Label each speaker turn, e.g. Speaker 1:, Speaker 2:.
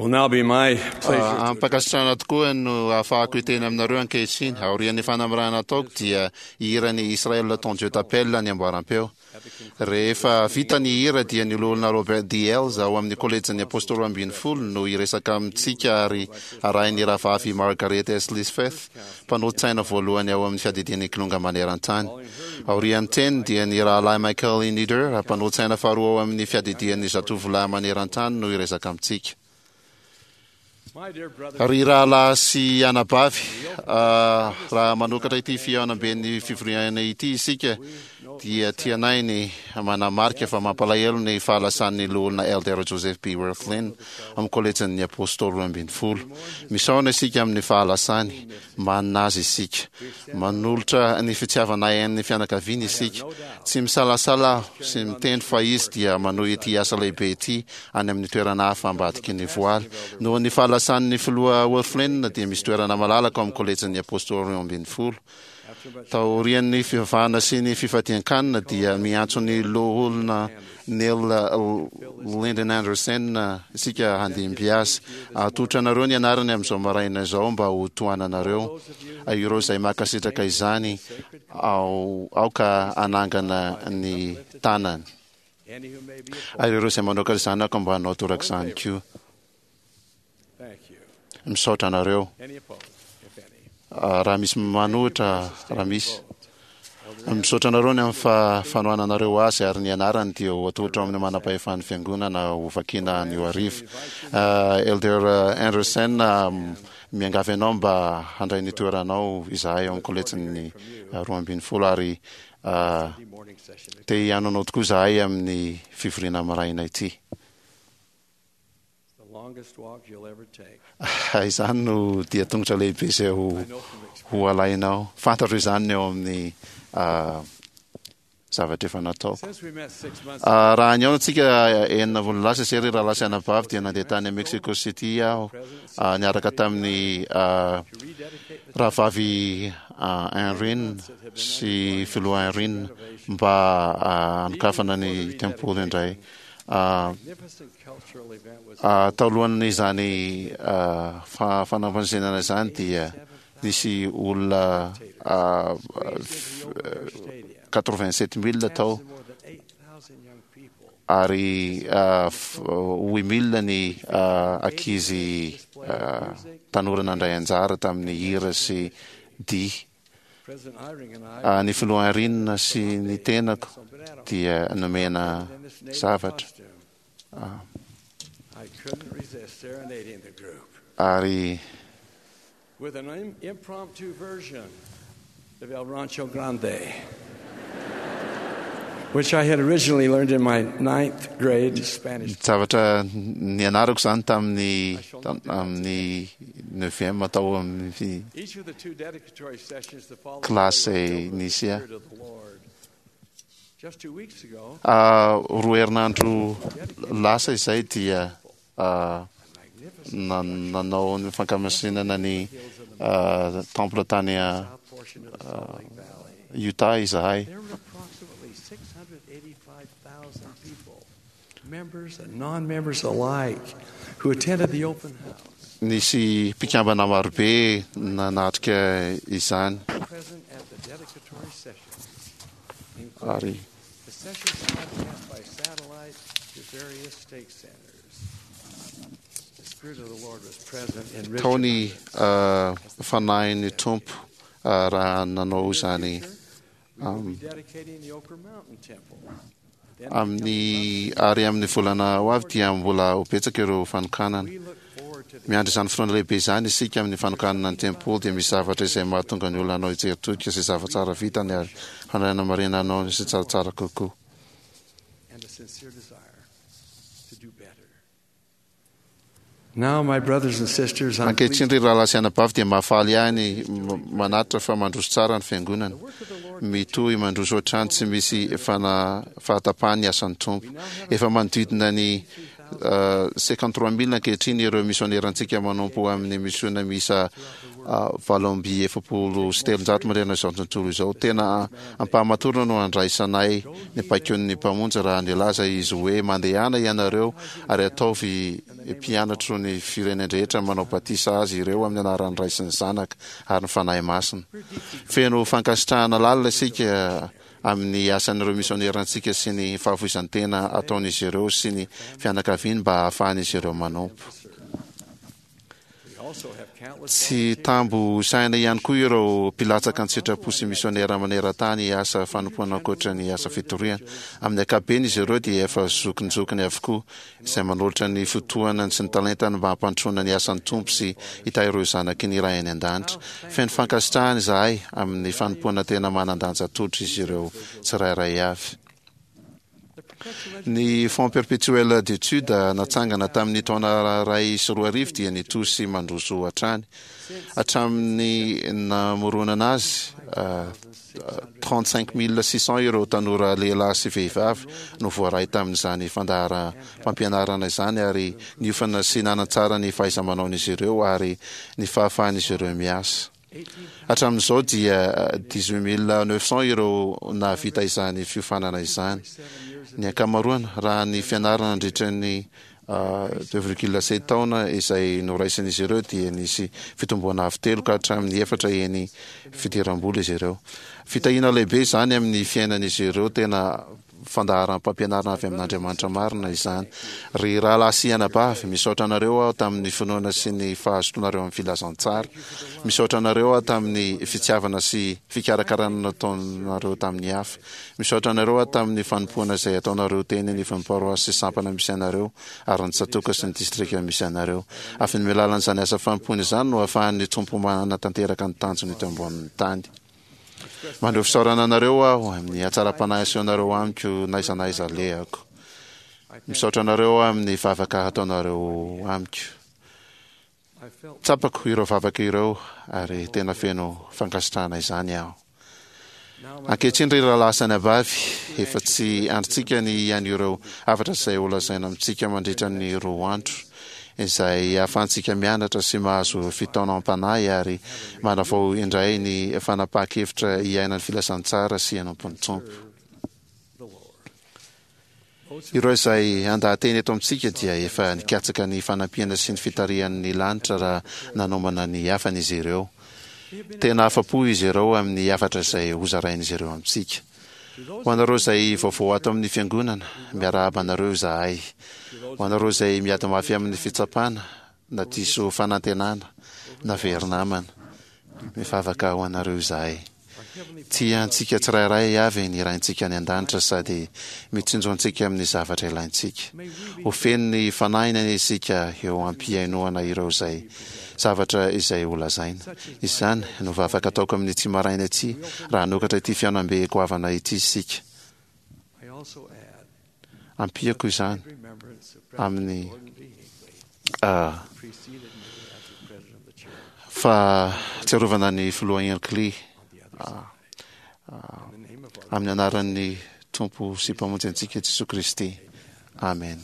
Speaker 1: It will now be my pleasure to
Speaker 2: Amim-pankasitrahana tokoa no ahafahako hiteny aminareo ankehitriny. Aorian'ny fanamarihana ataoko dia hihira ny Israël ton Dieu t'appelle ny amboaram-peo. Rehefa vita ny hira dia ny Loholona Robert D. Hales ao amin'ny Kolejin'ny Apôstôly Roambinifolo no hiresaka amintsika ary arahin'ny Rahavavy Margaret S. Lisfeth, mpanolotsaina voalohany ao amin'ny Fiadidian'ny Kilonga Maneran-tany. Aorian'ny teniny dia ny Rahalahy Michael E. Nieder, mpanolotsaina faharoa ao amin'ny Fiadidian'ny Zatovolahy Maneran-tany no hiresaka amintsika. Ry rahalahy sy anabavy, raha manokatra ity fihaonamben'ny fivoriana ity isika dia tianay ny manamarika fa mampalahelo ny fahalasan'ny Loholona Elder Joseph B. Wirthlin amin'ny Kolejin'ny Apôstôly Roambinifolo. Misaona isika amin'ny fahalasany, manina azy isika. Manolotra ny fitiavanay an'ny fianakaviany isika. Tsy misalasala aho sy miteny fa izy dia manohy ity asa lehibe ity any amin'ny toerana hafa ambadiky ny voaly. Noho ny fahalasan'ny Filoha Wirthlin dia misy toerana malalaka ao amin'ny Kolejin'ny Apôstôly Roambinifolo. Taorian'ny fivavahana sy ny fifadian-kanina dia miantso ny Loholona Neil Lyndon Andersen isika handimby azy. Atolotra anareo ny anarany amin'izao maraina izao mba ho tohananareo. Ireo izay mankasitraka izany, aoka hanangana ny tanany. Ary ireo izay manoaka izany aoka mba hanao torak'izany koa. Misaotra anareo. Raha misy manohitra, raha misy. Misaotra anareo ny amin'ny fanohananareo azy ary ny anarany dia ho atolotra ao amin'ny manam-pahefan'ny fiangonana ho vakiana anio hariva. Elder Andersen, miangavy anao mba handray ny toeranao izahay ao amin'ny kolejin'ny 12 ary te hihaino anao tokoa izahay amin'ny fivoriana maraina ity. Izany no dia tongotra lehibe izay ho ho alainao. Fantatro izany ny ao amin'ny zavatra efa nataoko. Raha nihaona antsika enina volana lasa izay ry rahalahy sy anabavy dia nandeha tany Mexico City aho niaraka tamin'ny rahavavy Irene sy filoha Irene mba hanokafana ny tempoly indray. Talohan'izany fanampanjenana izany dia nisy olona 87000 tao ary 8000 ny ankizy tanora nandray anjara tamin'ny hira sy dihy. Ny filoha Irene sy ny tenako dia nomena zavatra. Ary Zavatra nianarako izany tamin'ny amin'ny neuvième tao amin'ny kilasy nisy ahy. Roa herinandro lasa izay dia nanao ny fankamasinana ny temple tany Utah izahay. Nisy mpikambana marobe nanatrika izany ary tao ny Fanahin'ny Tompo raha nanao izany Amin'ny ary amin'ny volana ho avy dia mbola ho betsaka ireo fanokanana. Miandry izany fotoana lehibe izany isika amin'ny fanokanana ny tempoly dia misy zavatra izay mahatonga ny olona hanao hijery todika izay zava-tsara vitany ary handray hanamarina hanao ny izay tsaratsara kokoa. Ankehitriny ry rahalahy sy anabavy dia mahafaly ahy ny manatitra fa mandroso tsara ny fiangonana. Mitohy mandroso hatrany tsy misy fahatapahany ny asan'ny Tompo. Efa manodidina ny 53000 ankehitriny ireo misionerantsika manompo amin'ny misiona miisa 348 manerana izao tontolo izao. Tena am-pahamatorana no andraisanay ny baikon'ny Mpamonjy raha nilaza Izy hoe, Mandehana ianareo ary ataovy mpianatro ny firenen-drehetra manao batisa azy ireo amin'ny anaran'ny Ray sy ny Zanaka ary ny Fanahy Masina. Feno fankasitrahana lalina isika amin'ny asan'ireo misionerantsika sy ny fahafoizan-tena ataon'izy ireo sy ny fianakaviany mba hahafahan'izy ireo manompo. Tsy tambo isaina ihany koa ireo mpilatsaka an-tsitrapo sy misionera maneran-tany hiasa fanompoana ankoatra ny asa fitoriana. Amin'ny ankapobeny izy ireo dia efa zokinjokiny avokoa, izay manolotra ny fotoanany sy ny talentany mba hampandrosoana ny asan'ny Tompo sy hitahy ireo zanaky ny Ray any An-danitra. Feno fankasitrahana izahay amin'ny fanompoana tena manan-danja atolotr'izy ireo tsirairay avy. Ny Fonds Perpétuel d'études natsangana tamin'ny taona 2001 dia nitohy sy mandroso hatrany. Hatramin'ny namoronana azy, 35 600 ireo tanora lehilahy sy vehivavy no voaray tamin'izany fandaharam-pampianarana izany ary niofana sy nanatsara ny fahaiza-manaon'izy ireo ary ny fahafahan'izy ireo miasa. Hatramin'izao dia 18 900 ireo nahavita izany fiofanana izany. Ny ankamaroany, raha ny fianarana nandritra ny 2,7 taona izay noraisin'izy ireo dia nisy fitomboana avo telo ka hatramin'ny efatra heny fidiram-bola izy ireo. Fitahiana lehibe izany amin'ny fiainan'izy ireo tena fandaharam-pampianarana avy amin'Andriamanitra marina izany. Ry rahalahy sy anabavy, misaotra anareo aho tamin'ny finoana sy ny fahazotoanareo amin'ny filazantsara. Misaotra anareo aho tamin'ny fitiavana sy fikarakarana nataonareo tamin'ny hafa. Misaotra anareo aho tamin'ny fanompoana izay ataonareo teny anivon'ny paroasy sy sampana misy anareo ary ny tsatòka sy ny distrika misy anareo. Avy amin'ny alalan'izany asa fanompoana izany no ahafahan'ny Tompo manatanteraka ny tanjony eto ambonin'ny tany. Maneho fisaorana anareo aho amin'ny hatsaram-panahy asehonareo amiko n'aiza n'aiza alehako. Misaotra anareo aho amin'ny vavaka ataonareo amiko. Tsapako ireo vavaka ireo ary tena feno fankasitrahana izany aho. Ankehitriny ry rahalahy sy anabavy, efa tsy andrintsika ny hihaino ireo hafatra izay holazaina amintsika mandritra ny roa andro. izay ahafahantsika mianatra sy mahazo fitaonam-panahy ary manavao indray ny fanapahan-kevitra hiaina ny filazantsara sy hanompo ny Tompo. Ireo izay handaha-teny eto amintsika dia efa nikatsaka ny fanampiana sy ny fitarihan'ny lanitra raha nanomana ny hafany izy ireo. Tena afa-po izy ireo amin'ny hafatra izay hozarain'izy ireo amintsika. Ho anareo izay vaovao ato amin'ny Fiangonana, miarahaba anareo izahay. Ho anareo izay miady mafy amin'ny fitsapana, na diso fanantenana, na very namana, mivavaka ho anareo izahay. Tia antsika tsirairay avy ny Raintsika any An-danitra sady mitsinjo antsika amin'ny zavatra ilaintsika. Ho feno ny Fanahiny anie isika eo am-pihainoana ireo izay zavatra izay ho lazaina. Izany no vavaka ataoko amin'ity maraina ity raha hanokatra ity fihaonambe goavana ity isika. Ampiako izany amin'ny fahatsiarovana ny Filoha Hinckley amin'ny anaran'ny Tompo sy Mpamonjy antsika Jesoa Kristy. Amen.